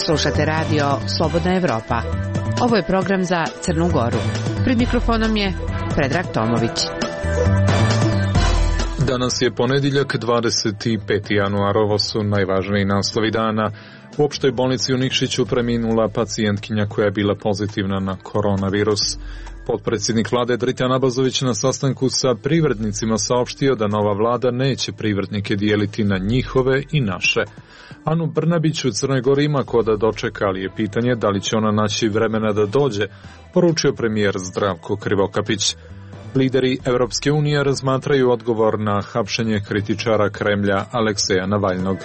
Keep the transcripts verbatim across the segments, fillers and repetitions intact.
Slušate radio Slobodna Evropa. Ovo je program za Crnu Goru. Pred mikrofonom je Predrag Tomović. Danas je ponedjeljak, dvadeset peti januar. Ovo su najvažniji naslovi dana. U opštoj bolnici u Nikšiću preminula pacijentkinja koja je bila pozitivna na koronavirus. Potpredsjednik vlade Dritan Abazović na sastanku sa privrednicima saopštio da nova vlada neće privrednike dijeliti na njihove i naše. Anu Brnabić u Crnoj Gori ima ko da dočeka, ali je pitanje da li će ona naći vremena da dođe, poručio premijer Zdravko Krivokapić. Lideri Evropske unije razmatraju odgovor na hapšenje kritičara Kremlja Alekseja Navalnog.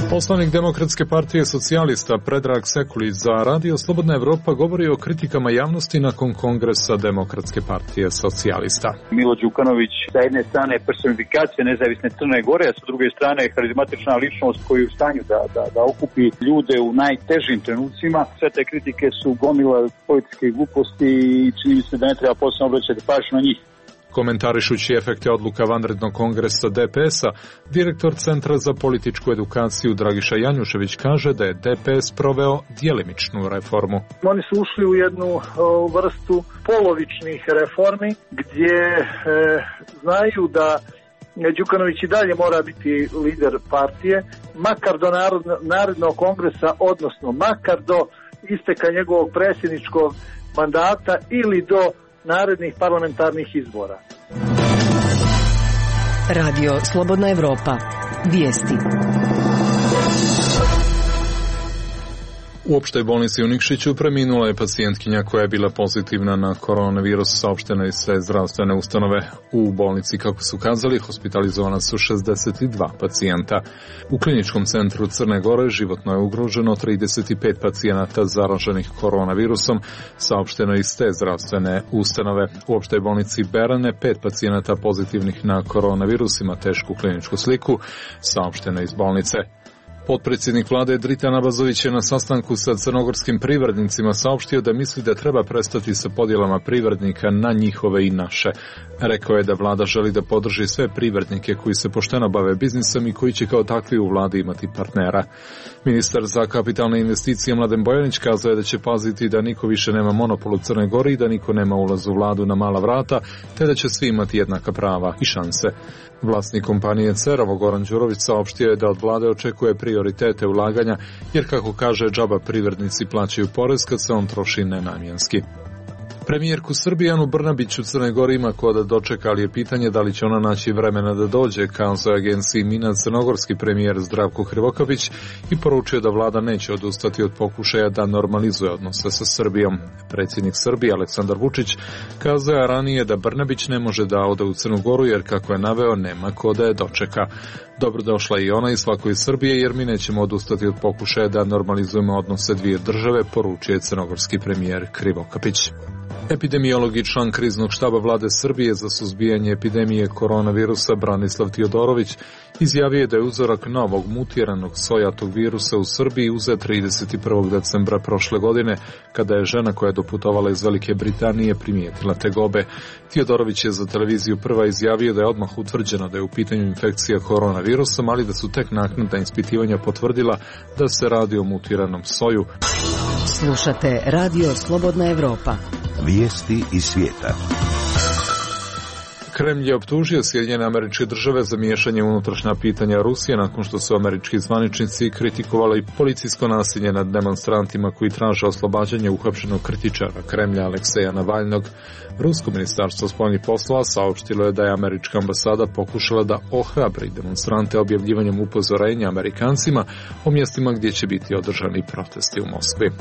Poslanik Demokratske partije socijalista Predrag Sekulić za Radio Slobodna Evropa govori o kritikama javnosti nakon kongresa Demokratske partije socijalista. Milo Đukanović sa jedne strane personifikacija nezavisne Crne Gore, a sa druge strane karizmatična ličnost koji je u stanju da, da, da okupi ljude u najtežim trenucima. Sve te kritike su gomila političke gluposti i čini se da ne treba posebno obraćati pažnju na njih. Komentarišući efekte odluka vanrednog kongresa D P S-a, direktor Centra za političku edukaciju Dragiša Janjušević kaže da je D P S proveo djelimičnu reformu. Oni su ušli u jednu o, vrstu polovičnih reformi gdje e, znaju da Đukanović i dalje mora biti lider partije, makar do narednog kongresa, odnosno makar do isteka njegovog predsjedničkog mandata ili do narednih parlamentarnih izbora. Radio Slobodna Evropa. Vijesti. U opštoj bolnici u Nikšiću preminula je pacijentkinja koja je bila pozitivna na koronavirus, saopšteno iz sve zdravstvene ustanove. U bolnici, kako su kazali, hospitalizovana su šezdeset dva pacijenta. U kliničkom centru Crne Gore životno je ugroženo trideset pet pacijenata zaraženih koronavirusom, saopšteno iz te zdravstvene ustanove. U opštoj bolnici Berane pet pacijenata pozitivnih na koronavirus ima tešku kliničku sliku, saopšteno iz bolnice. Potpredsjednik vlade Dritan Abazović je na sastanku sa crnogorskim privrednicima saopštio da misli da treba prestati sa podjelama privrednika na njihove i naše. Rekao je da vlada želi da podrži sve privrednike koji se pošteno bave biznisom i koji će kao takvi u vladi imati partnera. Ministar za kapitalne investicije Mladen Bojanić kazao je da će paziti da niko više nema monopol u Crnoj Gori i da niko nema ulaz u vladu na mala vrata, te da će svi imati jednaka prava i šanse. Vlasnik kompanije Cerovo Goran Đurović saopštio je da od vlade očekuje prioritete ulaganja, jer kako kaže džaba privrednici plaćaju porez kad se on troši nenamjenski. Premijerku Srbije Anu Brnabić u Crnoj Gori ima ko da dočeka, ali je pitanje da li će ona naći vremena da dođe, kazao je agenciji Mina crnogorski premijer Zdravko Krivokapić i poručio da vlada neće odustati od pokušaja da normalizuje odnose sa Srbijom. Predsjednik Srbije Aleksandar Vučić kazao je ranije da Brnabić ne može da ode u Crnu Goru jer, kako je naveo, nema ko da je dočeka. Dobrodošla i ona i svako iz Srbije, jer mi nećemo odustati od pokušaja da normalizujemo odnose dvije države, poručuje crnogorski premijer Krivokapić. Epidemiolog i član kriznog štaba vlade Srbije za suzbijanje epidemije koronavirusa Branislav Tiodorović izjavio je da je uzorak novog mutiranog sojatog virusa u Srbiji uzet trideset prvog decembra prošle godine, kada je žena koja je doputovala iz Velike Britanije primijetila tegobe. Tiodorović je za televiziju Prva izjavio da je odmah utvrđeno da je u pitanju infekcija koronavirusom, ali da su tek naknadna ispitivanja potvrdila da se radi o mutiranom soju. Slušate Radio Slobodna Evropa. Vijesti iz svijeta. Kremlj je optužio Sjedinjene Američke Države za miješanje u unutrašnja pitanja Rusije nakon što su američki zvaničnici kritikovali policijsko nasilje nad demonstrantima koji traže oslobađanje uhapšenog kritičara Kremlja Alekseja Navalnog. Rusko ministarstvo spoljnih poslova saopštilo je da je američka ambasada pokušala da ohrabri demonstrante objavljivanjem upozorenja Amerikancima o mjestima gdje će biti održani protesti u Moskvi.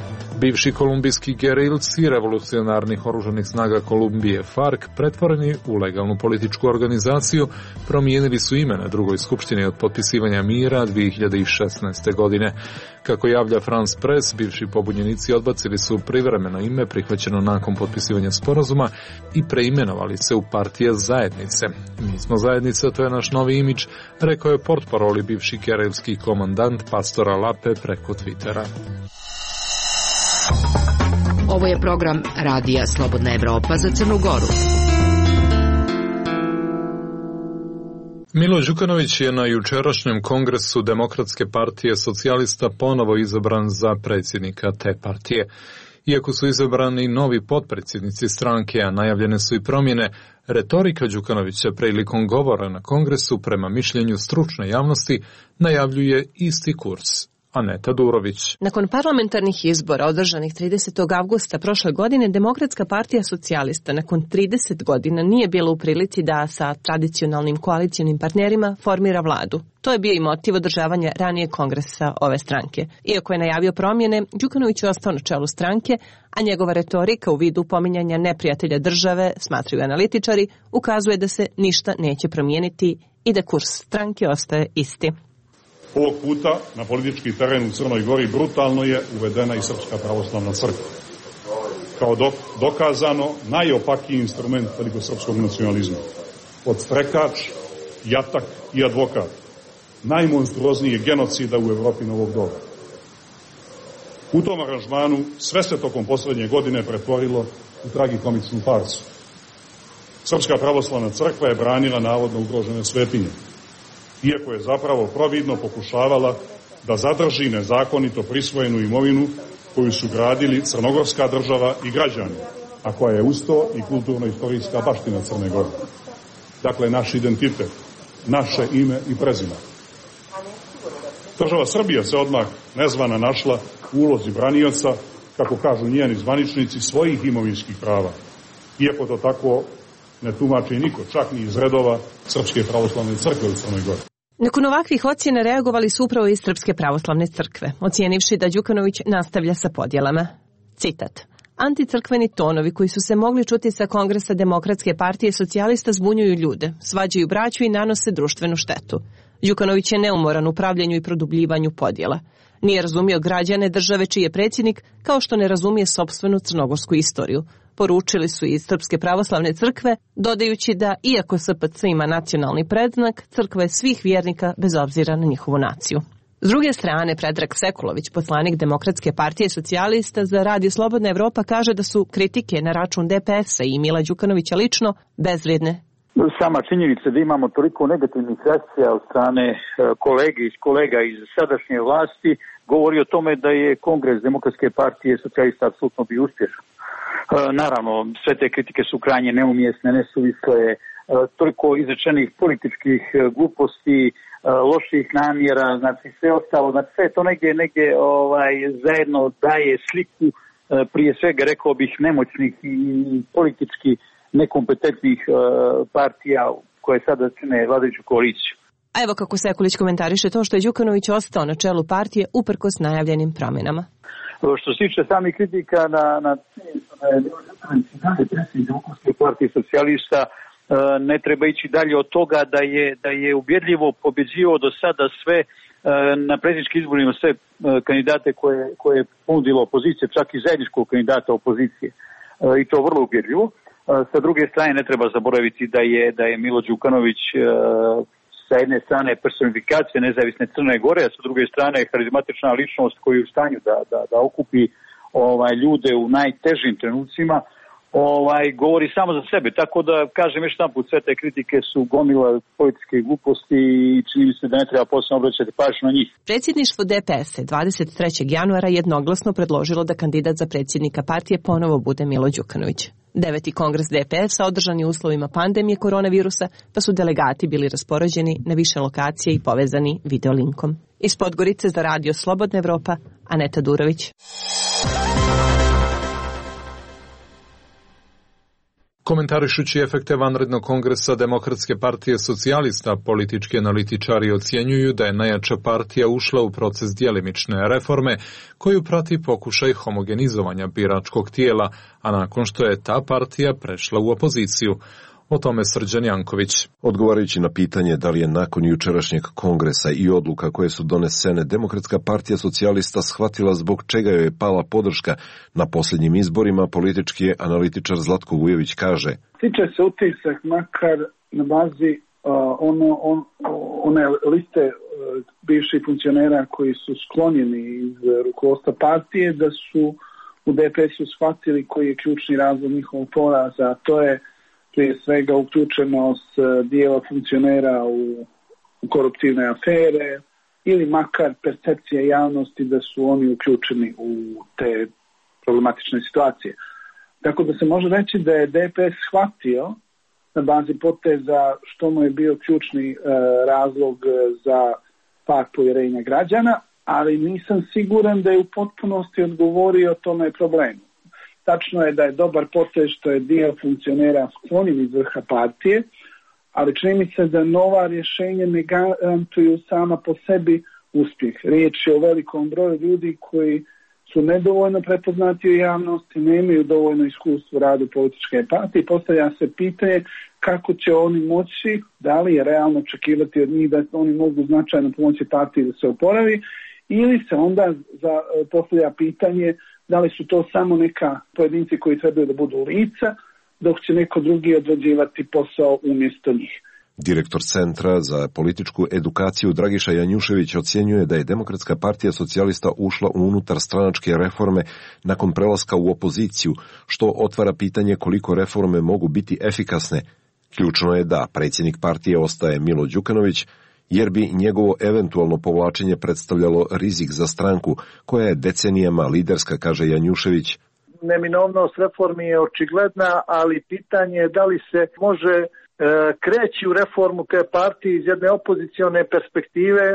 Bivši kolumbijski gerilci revolucionarnih oružanih snaga Kolumbije FARC, pretvoreni u legalnu političku organizaciju, promijenili su ime na drugoj skupštini od potpisivanja mira dvije hiljade šesnaeste. godine. Kako javlja France Press, bivši pobunjenici odbacili su privremeno ime prihvaćeno nakon potpisivanja sporazuma i preimenovali se u partije zajednice. Mi smo zajednica, to je naš novi imidž, rekao je portparoli bivši gerilski komandant Pastora Lape preko Twittera. Ovo je program Radija Slobodna Evropa za Crnu Goru. Milo Đukanović je na jučerašnjem kongresu Demokratske partije socijalista ponovo izabran za predsjednika te partije. Iako su izabrani novi potpredsjednici stranke, a najavljene su i promjene, retorika Đukanovića prilikom govora na kongresu prema mišljenju stručne javnosti najavljuje isti kurs. Aneta Durović. Nakon parlamentarnih izbora održanih tridesetog avgusta prošle godine, Demokratska partija socijalista nakon trideset godina nije bila u prilici da sa tradicionalnim koalicionim partnerima formira vladu. To je bio i motiv održavanja ranije kongresa ove stranke. Iako je najavio promjene, Đukanović je ostao na čelu stranke, a njegova retorika u vidu pominjanja neprijatelja države, smatraju analitičari, ukazuje da se ništa neće promijeniti i da kurs stranke ostaje isti. Ovog puta na politički teren u Crnoj Gori brutalno je uvedena i Srpska pravoslavna crkva. Kao dok, dokazano najopakiji instrument velikosrpskog nacionalizma. Podstrekač, jatak i advokat. Najmonstruoznije genocida u Evropi novog doba. U tom aranžmanu sve se tokom posljednje godine pretvorilo u tragikomičnu farsu. Srpska pravoslavna crkva je branila navodno ugrožene svetinje, iako je zapravo providno pokušavala da zadrži nezakonito prisvojenu imovinu koju su gradili crnogorska država i građani, a koja je usto i kulturno-istorijska baština Crne Gore. Dakle, naš identitet, naše ime i prezime. Država Srbija se odmah nezvana našla u ulozi branioca, kako kažu njeni zvaničnici, svojih imovinskih prava, iako to tako ne tumači niko, čak ni iz redova Srpske pravoslavne crkve u Crnoj Gori. Nakon ovakvih ocjena reagovali su upravo iz Srpske pravoslavne crkve, ocijenivši da Đukanović nastavlja sa podjelama. Citat. Anticrkveni tonovi koji su se mogli čuti sa kongresa Demokratske partije socijalista zbunjuju ljude, svađaju braću i nanose društvenu štetu. Đukanović je neumoran u pravljenju i produbljivanju podjela. Nije razumio građane države čiji je predsjednik, kao što ne razumije sopstvenu crnogorsku istoriju. Poručili su iz Srpske pravoslavne crkve, dodajući da, iako S P C ima nacionalni predznak, crkva je svih vjernika bez obzira na njihovu naciju. S druge strane, Predrag Sekulović, poslanik Demokratske partije socijalista za Radio Slobodna Evropa, kaže da su kritike na račun D P S-a i Mila Đukanovića lično bezvrijedne. Sama činjenica da imamo toliko negativnih reakcija od strane kolege iz kolega iz sadašnje vlasti govori o tome da je Kongres Demokratske partije socijalista apsolutno bio uspješan. Naravno, sve te kritike su krajnje neumjesne, nesuvisle, toliko izrečenih političkih gluposti, loših namjera, znači sve ostalo, znači sve to negdje, negdje ovaj, zajedno daje sliku prije svega, rekao bih, nemoćnih i politički nekompetentnih partija koje sada čine vladajuću koaliciju. A evo kako Sekulić komentariše to što je Đukanović ostao na čelu partije uprkos najavljenim promjenama. Što se tiče samih kritika na, na predsjednik Demokratske partije socijalista, ne treba ići dalje od toga da je, da je ubjedljivo pobjeđivao do sada sve na predsjedničkim izborima sve kandidate koje, koje je ponudila opozicija, čak i zajedničkog kandidata opozicije. I to vrlo ubjedljivo. Sa druge strane ne treba zaboraviti da je, da je Milo Đukanović sa jedne strane personifikacija nezavisne Crne Gore, a sa druge strane harizmatična ličnost koja je u stanju da, da, da okupi ovaj, ljude u najtežim trenucima, ovaj, govori samo za sebe. Tako da, kažem još jedan put, sve te kritike su gomila političke gluposti i čini mi se da ne treba posebno obraćati pažnju na njih. Predsjedništvo D P S je dvadeset trećeg januara jednoglasno predložilo da kandidat za predsjednika partije ponovo bude Milo Đukanović. Deveti kongres D P S-a održan je u uslovima pandemije koronavirusa, pa su delegati bili raspoređeni na više lokacije i povezani videolinkom. Iz Podgorice za Radio Slobodna Evropa, Aneta Durović. Komentarišući efekte vanrednog kongresa Demokratske partije socijalista, politički analitičari ocjenjuju da je najjača partija ušla u proces djelimične reforme koju prati pokušaj homogenizovanja biračkog tijela, a nakon što je ta partija prešla u opoziciju. O tome Srđan Janković. Odgovarajući na pitanje da li je nakon jučerašnjeg kongresa i odluka koje su donesene Demokratska partija socijalista shvatila zbog čega joj je pala podrška na posljednjim izborima, politički analitičar Zlatko Vujović kaže: Tiče se utisak makar na bazi uh, ono, on, one liste uh, bivših funkcionera koji su sklonjeni iz rukovodstva partije, da su u D P S-u shvatili koji je ključni razlog njihovog poraza, a to je prije svega uključenost dijela funkcionera u, u koruptivne afere ili makar percepcija javnosti da su oni uključeni u te problematične situacije. Tako da se može reći da je D P S shvatio na bazi poteza što mu je bio ključni e, razlog za pad povjerenja građana, ali nisam siguran da je u potpunosti odgovorio tome problemu. Tačno je da je dobar potez što je dio funkcionera sklonjen iz vrha partije, ali čini mi se da nova rješenja ne garantuju sama po sebi uspjeh. Riječ je o velikom broju ljudi koji su nedovoljno prepoznati u javnosti, nemaju dovoljno iskustva u radu političke partije. Postavlja se pitanje kako će oni moći, da li je realno očekivati od njih da oni mogu značajno pomoći partiji da se oporavi, ili se onda za, postavlja pitanje da li su to samo neka pojedinci koji trebaju da budu lica, dok će neko drugi odrađivati posao umjesto njih. Direktor Centra za političku edukaciju Dragiša Janjušević ocjenjuje da je Demokratska partija socijalista ušla u unutar stranačke reforme nakon prelaska u opoziciju, što otvara pitanje koliko reforme mogu biti efikasne. Ključno je da predsjednik partije ostaje Milo Đukanović, jer bi njegovo eventualno povlačenje predstavljalo rizik za stranku koja je decenijama liderska, kaže Janjušević. Neminovnost reformi je očigledna, ali pitanje je da li se može e, kreći u reformu te partije iz jedne opozicione perspektive,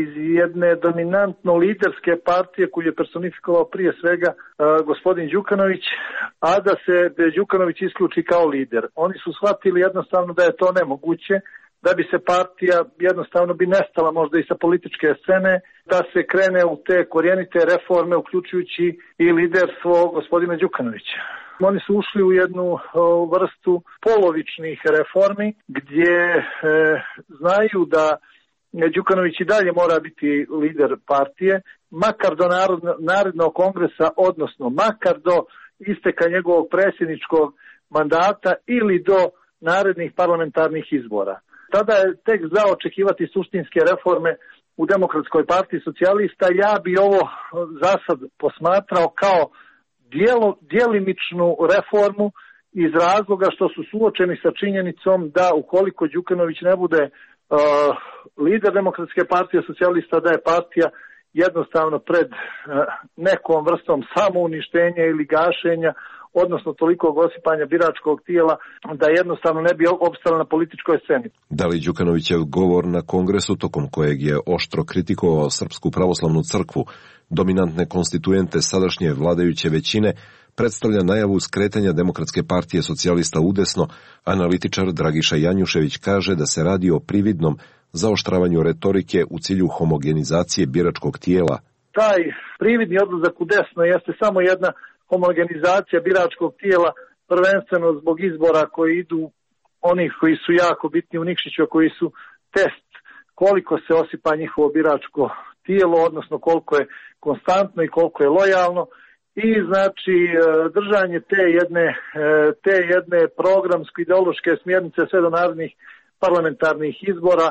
iz jedne dominantno liderske partije koju je personifikovao prije svega e, gospodin Đukanović, a da se Đukanović isključi kao lider. Oni su shvatili jednostavno da je to nemoguće, da bi se partija jednostavno bi nestala možda i sa političke scene, da se krene u te korijenite reforme, uključujući i liderstvo gospodina Đukanovića. Oni su ušli u jednu o, vrstu polovičnih reformi gdje e, znaju da Đukanović i dalje mora biti lider partije, makar do narodno, narednog kongresa, odnosno makar do isteka njegovog predsjedničkog mandata ili do narednih parlamentarnih izbora. Tada je tek za očekivati suštinske reforme u Demokratskoj partiji socijalista. Ja bi ovo za sad posmatrao kao dijelo, djelimičnu reformu iz razloga što su suočeni sa činjenicom da ukoliko Đukanović ne bude uh, lider Demokratske partije socijalista, da je partija jednostavno pred uh, nekom vrstom samouništenja ili gašenja, odnosno toliko osipanja biračkog tijela da jednostavno ne bi opstala na političkoj sceni. Da li Đukanovićev govor na kongresu, tokom kojeg je oštro kritikovao Srpsku pravoslavnu crkvu, dominantne konstituente sadašnje vladajuće većine, predstavlja najavu skretanja Demokratske partije socijalista udesno, analitičar Dragiša Janjušević kaže da se radi o prividnom zaoštravanju retorike u cilju homogenizacije biračkog tijela. Taj prividni odlazak u desno jeste samo jedna homogenizacija biračkog tijela, prvenstveno zbog izbora koji idu onih koji su jako bitni u Nikšiću, koji su test koliko se osipa njihovo biračko tijelo, odnosno koliko je konstantno i koliko je lojalno. I znači držanje te jedne, te jedne programsko-ideološke smjernice sve do narednih parlamentarnih izbora,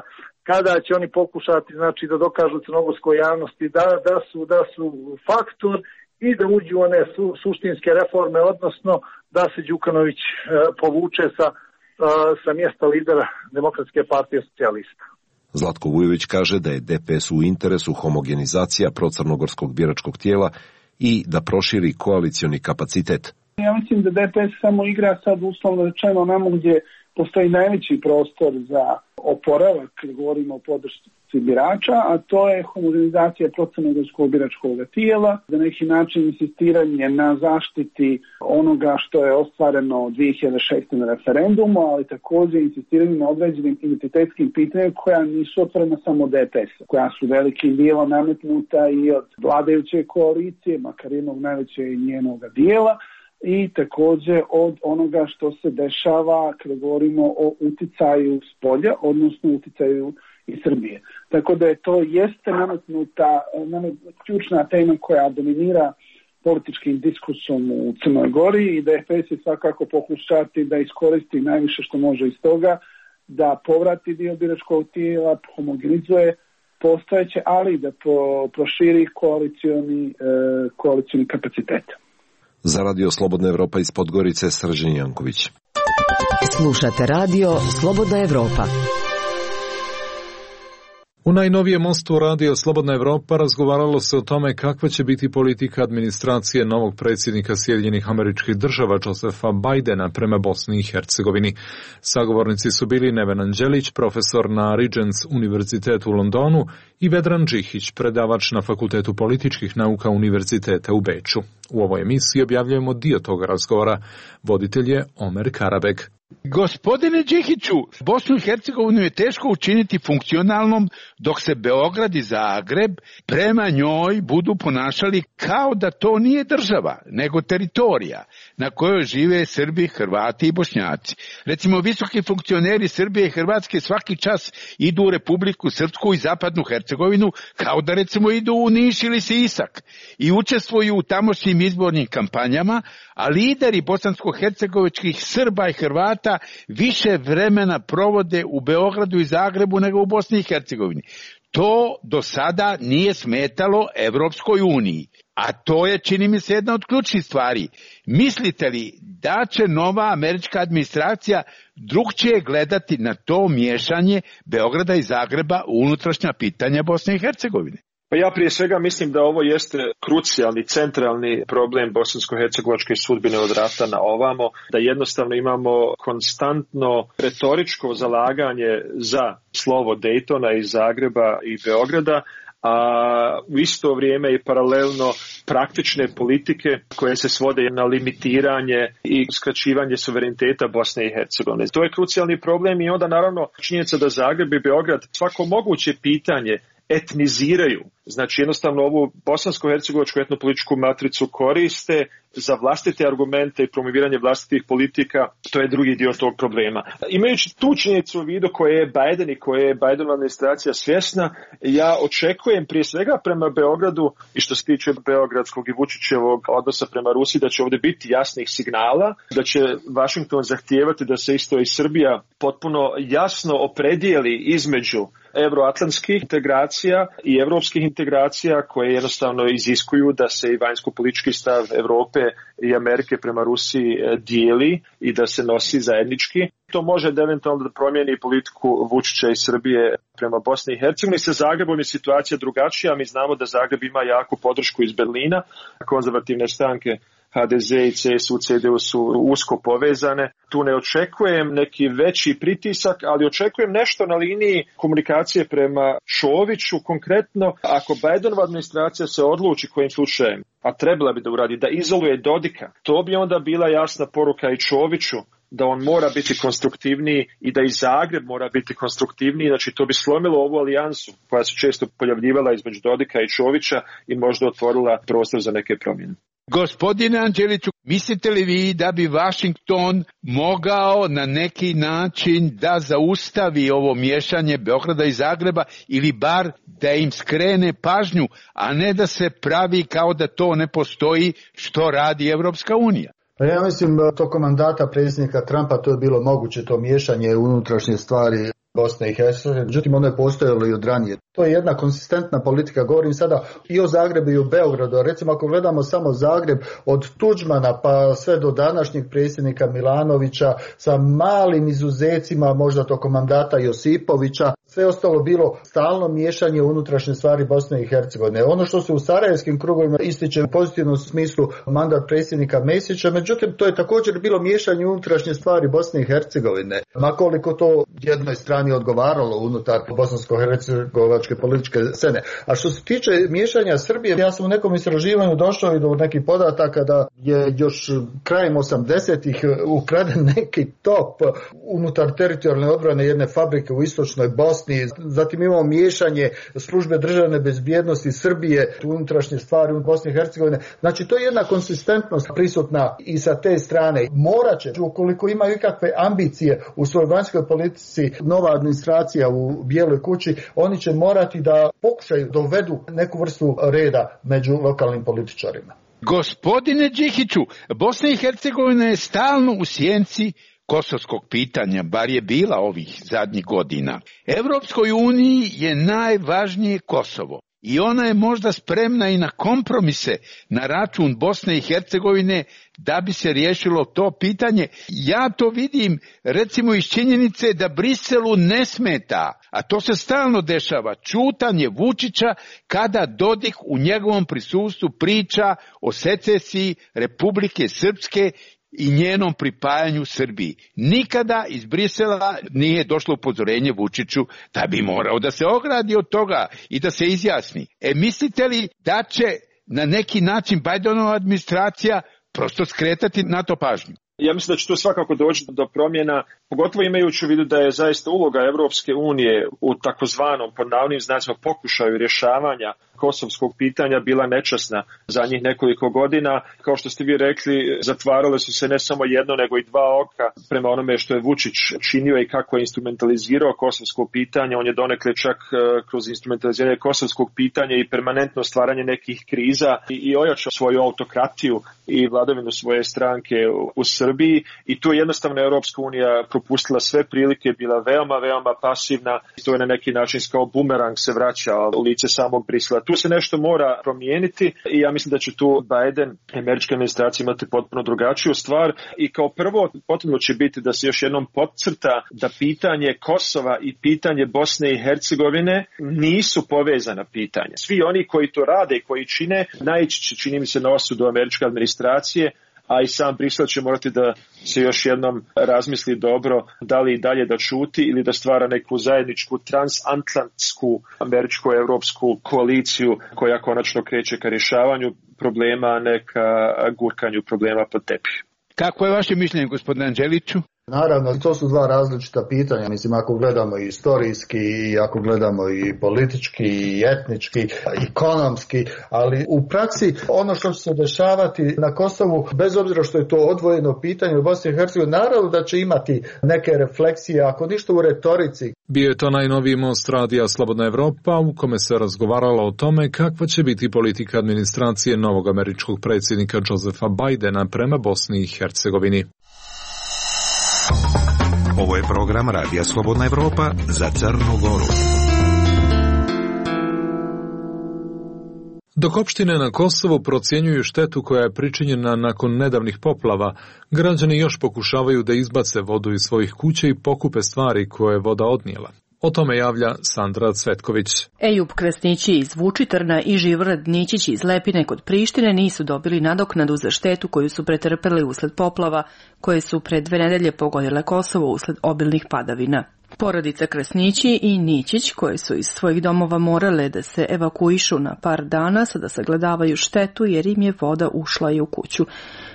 kada će oni pokušati znači da dokažu crnogorskoj javnosti da, da, su, da su faktor i da uđu one su, suštinske reforme, odnosno da se Đukanović e, povuče sa, e, sa mjesta lidera Demokratske partije socijalista. Zlatko Vujović kaže da je D P S u interesu homogenizacija procrnogorskog biračkog tijela i da proširi koalicioni kapacitet. Ja mislim da D P S samo igra sad uslovno rečeno namo gdje postoji najveći prostor za oporavak, kad govorimo o podršci birača, a to je homogenizacija procrnogorskog biračkog tijela, za neki način insistiranje na zaštiti onoga što je ostvareno dvije hiljade šeste na referendumu, ali također insistiranje na određenim identitetskim pitanjima koja nisu otvorena samo D P S-a, koja su velikim dijelom nametnuta i od vladajuće koalicije, makar jednog najvećeg njenoga dijela, i također od onoga što se dešava kada govorimo o uticaju s polja, odnosno uticaju iz Srbije. Tako da je to jeste nametnuta, nametnuta ključna tema koja dominira političkim diskursom u Crnoj Gori i D P S je svakako pokušati da iskoristi najviše što može iz toga, da povrati dio biračkog tijela, homogenizuje postojeće, ali da po, proširi koalicioni, e, koalicioni kapacitet. Za Radio Slobodna Evropa iz Podgorice, Srđan Janković. Slušate radio Slobodna Evropa. U najnovijem mostu radio Slobodna Evropa razgovaralo se o tome kakva će biti politika administracije novog predsjednika Sjedinjenih Američkih Država Josefa Bidena prema Bosni i Hercegovini. Sagovornici su bili Neven Anđelić, profesor na Regents univerzitetu u Londonu, i Vedran Džihić, predavač na Fakultetu političkih nauka Univerziteta u Beču. U ovoj emisiji objavljujemo dio toga razgovora. Voditelj je Omer Karabeg. Gospodine Džihiću, Bosnu i Hercegovinu je teško učiniti funkcionalnom dok se Beograd i Zagreb prema njoj budu ponašali kao da to nije država, nego teritorija na kojoj žive Srbi, Hrvati i Bošnjaci. Recimo, visoki funkcioneri Srbije i Hrvatske svaki čas idu u Republiku Srpsku i Zapadnu Hercegovinu kao da recimo idu u Niš ili Sisak i učestvuju u tamošnjim izbornim kampanjama, a lideri bosansko-hercegovičkih Srba i Hrvata više vremena provode u Beogradu i Zagrebu nego u Bosni i Hercegovini. To do sada nije smetalo Evropskoj uniji, a to je, čini mi se, jedna od ključnih stvari. Mislite li da će nova američka administracija drugčije gledati na to miješanje Beograda i Zagreba u unutrašnja pitanja Bosne i Hercegovine? Pa ja prije svega mislim da ovo jeste krucijalni, centralni problem bosansko-hercegovačke sudbine od rata na ovamo, da jednostavno imamo konstantno retoričko zalaganje za slovo Daytona iz Zagreba i Beograda, a u isto vrijeme i paralelno praktične politike koje se svode na limitiranje i skraćivanje suvereniteta Bosne i Hercegovine. To je krucijalni problem i onda naravno činjenica da Zagreb i Beograd svako moguće pitanje etniziraju, znači jednostavno ovu bosansko-hercegovačku etnopolitičku matricu koriste za vlastite argumente i promoviranje vlastitih politika, to je drugi dio tog problema. Imajući tu činjenicu u vidu koje je Biden i koje je Bidenova administracija svjesna, ja očekujem prije svega prema Beogradu i što se tiče beogradskog i Vučićevog odnosa prema Rusiji da će ovdje biti jasnih signala, da će Washington zahtijevati da se isto i Srbija potpuno jasno opredijeli između evroatlantskih integracija i evropskih integracija koje jednostavno iziskuju da se i vanjsko-politički stav Europe i Amerike prema Rusiji dijeli i da se nosi zajednički. To može da eventualno da promijeni politiku Vučića i Srbije prema Bosni i Hercegovini. Sa Zagrebom je situacija drugačija. Mi znamo da Zagreb ima jaku podršku iz Berlina. Konzervativne stranke H D Z i C S U, C D U su usko povezane. Tu ne očekujem neki veći pritisak, ali očekujem nešto na liniji komunikacije prema Čoviću. Konkretno, ako Bidenova administracija se odluči kojim slučajem, a trebala bi da uradi, da izoluje Dodika, to bi onda bila jasna poruka i Čoviću da on mora biti konstruktivniji i da i Zagreb mora biti konstruktivniji. Znači to bi slomilo ovu alijansu koja se često pojavljivala između Dodika i Čovića i možda otvorila prostor za neke promjene. Gospodine Anđeliću, mislite li vi da bi Washington mogao na neki način da zaustavi ovo miješanje Beograda i Zagreba ili bar da im skrene pažnju, a ne da se pravi kao da to ne postoji što radi Evropska unija? Pa ja mislim tokom mandata predsjednika Trumpa to je bilo moguće, to miješanje u unutrašnje stvari Bosne i Hercegovine, međutim ono je postojalo i od ranije. To je jedna konsistentna politika, govorim sada i o Zagrebu i o Beogradu. Recimo ako gledamo samo Zagreb od Tuđmana pa sve do današnjeg predsjednika Milanovića sa malim izuzecima, možda tokom mandata Josipovića, sve ostalo bilo stalno miješanje u unutrašnje stvari Bosne i Hercegovine. Ono što se u sarajevskim krugovima ističe u pozitivnom smislu mandat predsjednika Mesića, međutim to je također bilo miješanje u unutrašnje stvari Bosne i Hercegovine. Makoliko to jednoj strani odgovaralo unutar bosansko-hercegovačke političke scene. A što se tiče miješanja Srbije, ja sam u nekom istraživanju došao i do nekih podataka da je još krajem osamdesetih ukraden neki top unutar teritorijalne odbrane jedne fabrike u istočnoj Bosni. Zatim imamo miješanje službe državne bezbjednosti Srbije u unutrašnje stvari u Bosni i Hercegovine. Znači to je jedna konsistentnost prisutna i sa te strane. Morat će, ukoliko imaju ikakve ambicije u svojoj vanjskoj politici, nova administracija u Bijeloj kući, oni će morati da pokušaju dovedu neku vrstu reda među lokalnim političarima. Gospodine Džihiću, Bosna i Hercegovina je stalno u sjenci kosovskog pitanja, bar je bila ovih zadnjih godina. Evropskoj uniji je najvažnije Kosovo. i ona je možda spremna i na kompromise na račun Bosne i Hercegovine da bi se riješilo to pitanje. Ja to vidim recimo iz činjenice da Briselu ne smeta, a to se stalno dešava, ćutanje Vučića kada Dodik u njegovom prisustvu priča o secesiji Republike Srpske i njenom pripajanju Srbiji. Nikada iz Brisela nije došlo upozorenje Vučiću da bi morao da se ogradi od toga i da se izjasni. E, mislite li da će na neki način Bajdenova administracija prosto skretati na to pažnju? Ja mislim da će tu svakako doći do promjena, pogotovo imajući u vidu da je zaista uloga Evropske unije u takozvanom, pod navodnim znacima, pokušaju rješavanja kosovskog pitanja bila nečasna za njih nekoliko godina. Kao što ste vi rekli, zatvarale su se ne samo jedno, nego i dva oka prema onome što je Vučić činio i kako je instrumentalizirao kosovsko pitanje. On je donekle čak kroz instrumentaliziranje kosovskog pitanja i permanentno stvaranje nekih kriza i ojačao svoju autokratiju i vladavinu svoje stranke u Srbiji. I tu je jednostavno Europska unija propustila sve prilike, bila veoma, veoma pasivna. I to je na neki način kao bumerang se vraća u lice samog Brisela. Tu se nešto mora promijeniti i ja mislim da će tu Biden i američka administracija imati potpuno drugačiju stvar i kao prvo potrebno će biti da se još jednom podcrta da pitanje Kosova i pitanje Bosne i Hercegovine nisu povezana pitanja. Svi oni koji to rade i koji čine, naići će, čini mi se, na osudu američke administracije, a i sam Brisel će morati da se još jednom razmisli dobro da li i dalje da ćuti ili da stvara neku zajedničku transatlantsku američko-evropsku koaliciju koja konačno kreće ka rješavanju problema, a ne ka gurkanju problema pod tepih. Kako je vaše mišljenje, gospodine Anđeliću? Naravno, to su dva različita pitanja. Mislim, ako gledamo i istorijski, i ako gledamo i politički, i etnički, i ekonomski, ali u praksi ono što će se dešavati na Kosovu, bez obzira što je to odvojeno pitanje u Bosni i Hercegovini, naravno da će imati neke refleksije, ako ništa u retorici. Bio je to najnoviji Most radija Slobodna Evropa u kome se razgovaralo o tome kakva će biti politika administracije novog američkog predsjednika Josefa Bidena prema Bosni i Hercegovini. Ovo je program Radija Slobodna Evropa za Crnu Goru. Dok opštine na Kosovu procjenjuju štetu koja je pričinjena nakon nedavnih poplava, građani još pokušavaju da izbace vodu iz svojih kuća i pokupe stvari koje je voda odnijela. O tome javlja Sandra Cvetković. Ejub Kresnići iz Vučitrna i Živorad Nićić iz Lepine kod Prištine nisu dobili nadoknadu za štetu koju su pretrpeli usled poplava, koje su pre dve nedelje pogodile Kosovo usled obilnih padavina. Porodica Kresnići i Nićić, koje su iz svojih domova morale da se evakuišu na par dana, sada sagledavaju štetu jer im je voda ušla i u kuću.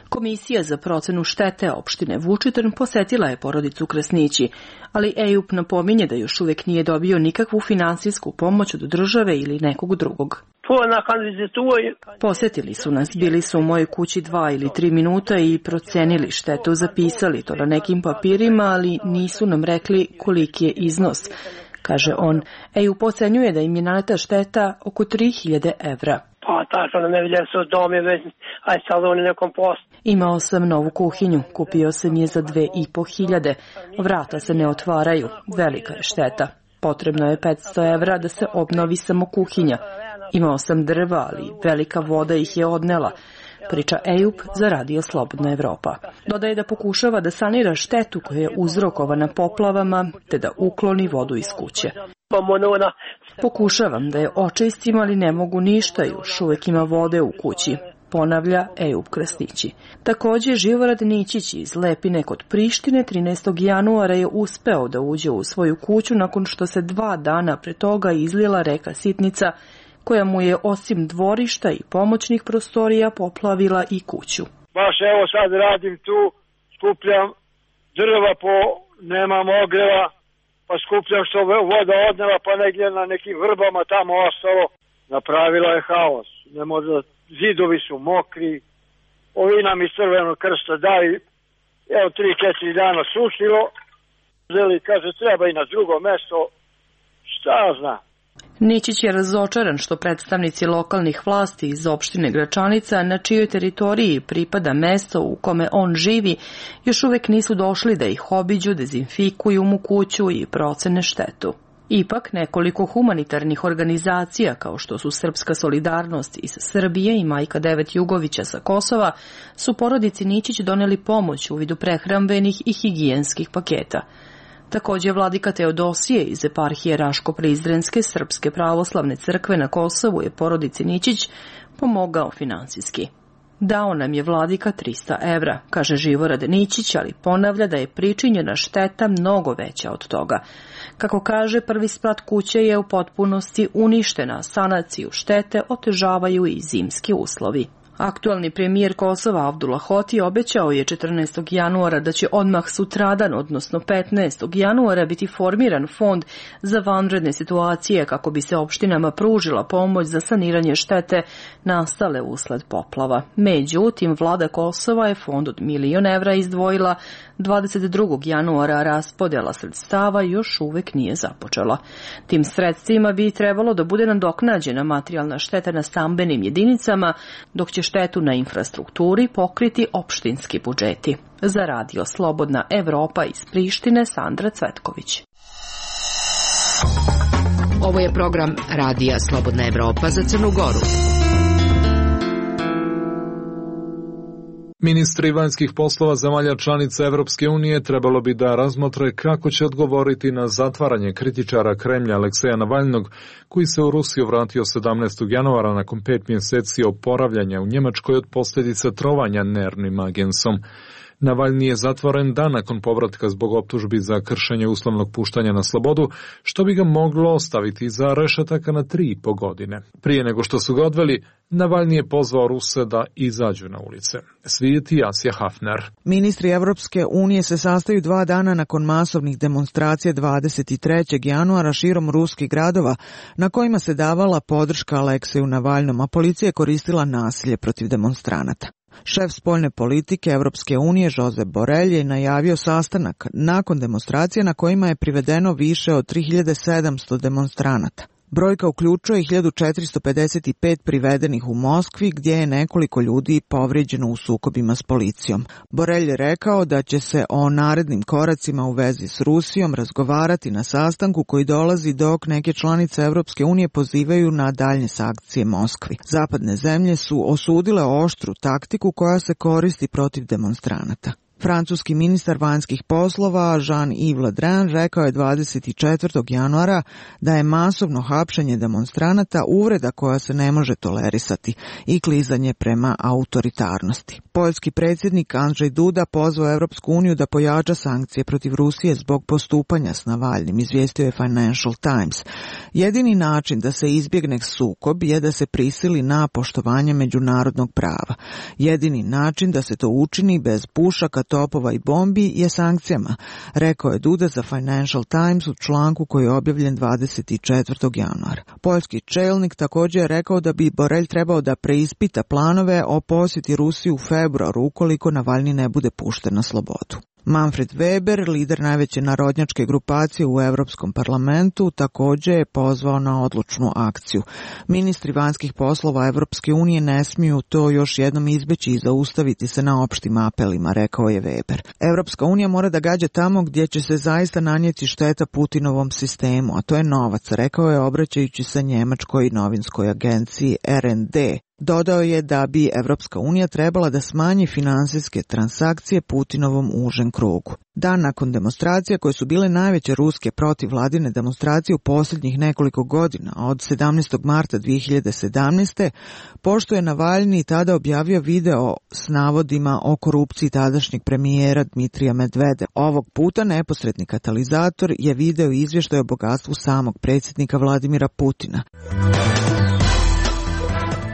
Komisija za procenu štete opštine Vučitrn posetila je porodicu Kresnići, ali Ejub napominje da još uvijek nije dobio nikakvu finansijsku pomoć od države ili nekog drugog. Posetili su nas, bili su u mojoj kući dva ili tri minuta i procenili štetu, zapisali to na nekim papirima, ali nisu nam rekli koliki je iznos, kaže on. Ejub ocenjuje da im je naneta šteta oko tri hiljade evra. Imao sam novu kuhinju, kupio sam je za dve i po hiljade, vrata se ne otvaraju, velika je šteta. Potrebno je petsto evra da se obnovi samo kuhinja. Imao sam drva, ali velika voda ih je odnela, priča Ejub za Radio Slobodna Evropa. Dodaje da pokušava da sanira štetu koja je uzrokovana poplavama, te da ukloni vodu iz kuće. Pokušavam da je očistim, ali ne mogu ništa, još uvijek ima vode u kući, ponavlja Ejub Kresnići. Također Živorad Nićić iz Lepine kod Prištine trinaestog januara je uspeo da uđe u svoju kuću nakon što se dva dana pre toga izlila reka Sitnica, koja mu je osim dvorišta i pomoćnih prostorija poplavila i kuću. Baš evo sad radim tu, skupljam drva po, nemam ogreva, pa skupljam što voda odnela, pa negdje na nekim vrbama tamo ostalo. Napravila je haos. Ne može, zidovi su mokri, ovi nam iz Crvenog krsta daju, evo tri, četiri dana sušilo, želi, kaže, treba i na drugo mesto, šta zna. Nićić je razočaran što predstavnici lokalnih vlasti iz opštine Gračanica, na čijoj teritoriji pripada mesto u kome on živi, još uvijek nisu došli da ih obiđu, dezinfikuju mu kuću i procene štetu. Ipak, nekoliko humanitarnih organizacija, kao što su Srpska solidarnost iz Srbije i Majka Devet Jugovića sa Kosova, su porodici Ničić doneli pomoć u vidu prehrambenih i higijenskih paketa. Također, vladika Teodosije iz eparhije Raško-Prizrenske Srpske pravoslavne crkve na Kosovu je porodici Ničić pomogao finansijski. Dao nam je vladika trista evra, kaže Živorad Ničić, ali ponavlja da je pričinjena šteta mnogo veća od toga. Kako kaže, prvi sprat kuće je u potpunosti uništena, sanaciju štete otežavaju i zimski uslovi. Aktualni premijer Kosova Abdullah Hoti obećao je četrnaestog januara da će odmah sutradan, odnosno petnaestog januara, biti formiran fond za vanredne situacije kako bi se opštinama pružila pomoć za saniranje štete nastale usled poplava. Međutim, vlada Kosova je fond od milion evra izdvojila dvadeset drugog januara, a raspodjela sredstava još uvek nije započela. Tim sredstvima bi trebalo da bude nadoknađena materijalna šteta na stambenim jedinicama, dok će štetu na infrastrukturi pokriti opštinski budžeti. Za radio Slobodna Evropa iz Prištine, Sandra Cvetković. Ovo je program Radija Slobodna Evropa za Crnu Goru. Ministri vanjskih poslova zemalja članica Evropske unije trebalo bi da razmotre kako će odgovoriti na zatvaranje kritičara Kremlja Alekseja Navalnog, koji se u Rusiju vratio sedamnaestog januara nakon pet mjeseci oporavljanja u Njemačkoj od posljedica trovanja nervnim agensom. Navalni je zatvoren dan nakon povratka zbog optužbi za kršenje uslovnog puštanja na slobodu, što bi ga moglo ostaviti za rešetaka na tri i po godine. Prije nego što su ga odveli, Navalni je pozvao Ruse da izađu na ulice. Svijeti Asija Hafner. Ministri Evropske unije se sastaju dva dana nakon masovnih demonstracija dvadeset trećeg januara širom ruskih gradova, na kojima se davala podrška Alekseju Navalnom, a policija je koristila nasilje protiv demonstranata. Šef spoljne politike Evropske unije Josep Borrell je najavio sastanak nakon demonstracija na kojima je privedeno više od tri hiljade sedamsto demonstranata. Brojka uključuje hiljadu četiristo pedeset pet privedenih u Moskvi, gdje je nekoliko ljudi povrijeđeno u sukobima s policijom. Borrell je rekao da će se o narednim koracima u vezi s Rusijom razgovarati na sastanku koji dolazi dok neke članice Evropske unije pozivaju na daljnje sankcije Moskvi. Zapadne zemlje su osudile oštru taktiku koja se koristi protiv demonstranata. Francuski ministar vanjskih poslova Jean-Yves Le Drian rekao je dvadeset četvrtog januara da je masovno hapšenje demonstranata uvreda koja se ne može tolerisati i klizanje prema autoritarnosti. Poljski predsjednik Andrzej Duda pozvao Evropsku uniju da pojača sankcije protiv Rusije zbog postupanja s Navalnim, izvijestio je Financial Times. Jedini način da se izbjegne sukob je da se prisili na poštovanje međunarodnog prava. Jedini način da se to učini bez pušaka, topova i bombi je sankcijama, rekao je Duda za Financial Times u članku koji je objavljen dvadeset četvrtog januara. Poljski čelnik također je rekao da bi Borrell trebao da preispita planove o posjeti Rusiji u februaru ukoliko Navalni ne bude pušten na slobodu. Manfred Weber, lider najveće narodnjačke grupacije u Europskom parlamentu, također je pozvao na odlučnu akciju. Ministri vanjskih poslova Evropske unije ne smiju to još jednom izbeći i zaustaviti se na opštim apelima, rekao je Weber. Evropska unija mora da gađa tamo gdje će se zaista nanijeti šteta Putinovom sistemu, a to je novac, rekao je obraćajući se njemačkoj novinskoj agenciji R N D. Dodao je da bi Evropska unija trebala da smanji finansijske transakcije Putinovom užem krugu. Dan nakon demonstracija koje su bile najveće ruske protivvladine demonstracije u posljednjih nekoliko godina, od sedamnaestog marta dvije hiljade sedamnaeste. pošto je Navalni tada objavio video s navodima o korupciji tadašnjeg premijera Dmitrija Medvedeva. Ovog puta neposredni katalizator je video izvještaj o bogatstvu samog predsjednika Vladimira Putina.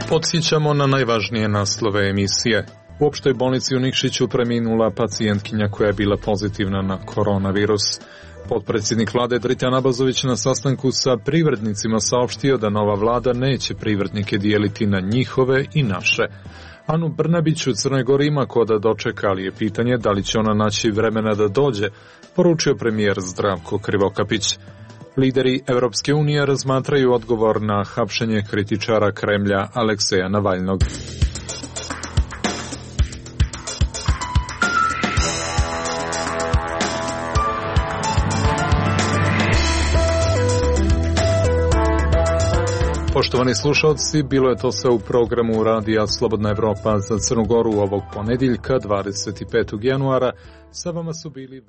Podsjećamo na najvažnije naslove emisije. U opštoj bolnici u Nikšiću preminula pacijentkinja koja je bila pozitivna na koronavirus. Potpredsjednik vlade Dritan Abazović na sastanku sa privrednicima saopštio da nova vlada neće privrednike dijeliti na njihove i naše. Anu Brnabić u Crnoj Gori ima ko da dočeka, ali je pitanje da li će ona naći vremena da dođe, poručio premijer Zdravko Krivokapić. Lideri Evropske unije razmatraju odgovor na hapšenje kritičara Kremlja Alekseja Navalnog. Poštovani slušalci, bilo je to sve u programu Radija Slobodna Evropa za Crnu Goru ovog ponedjeljka, dvadeset petog januara. Sa vama su bili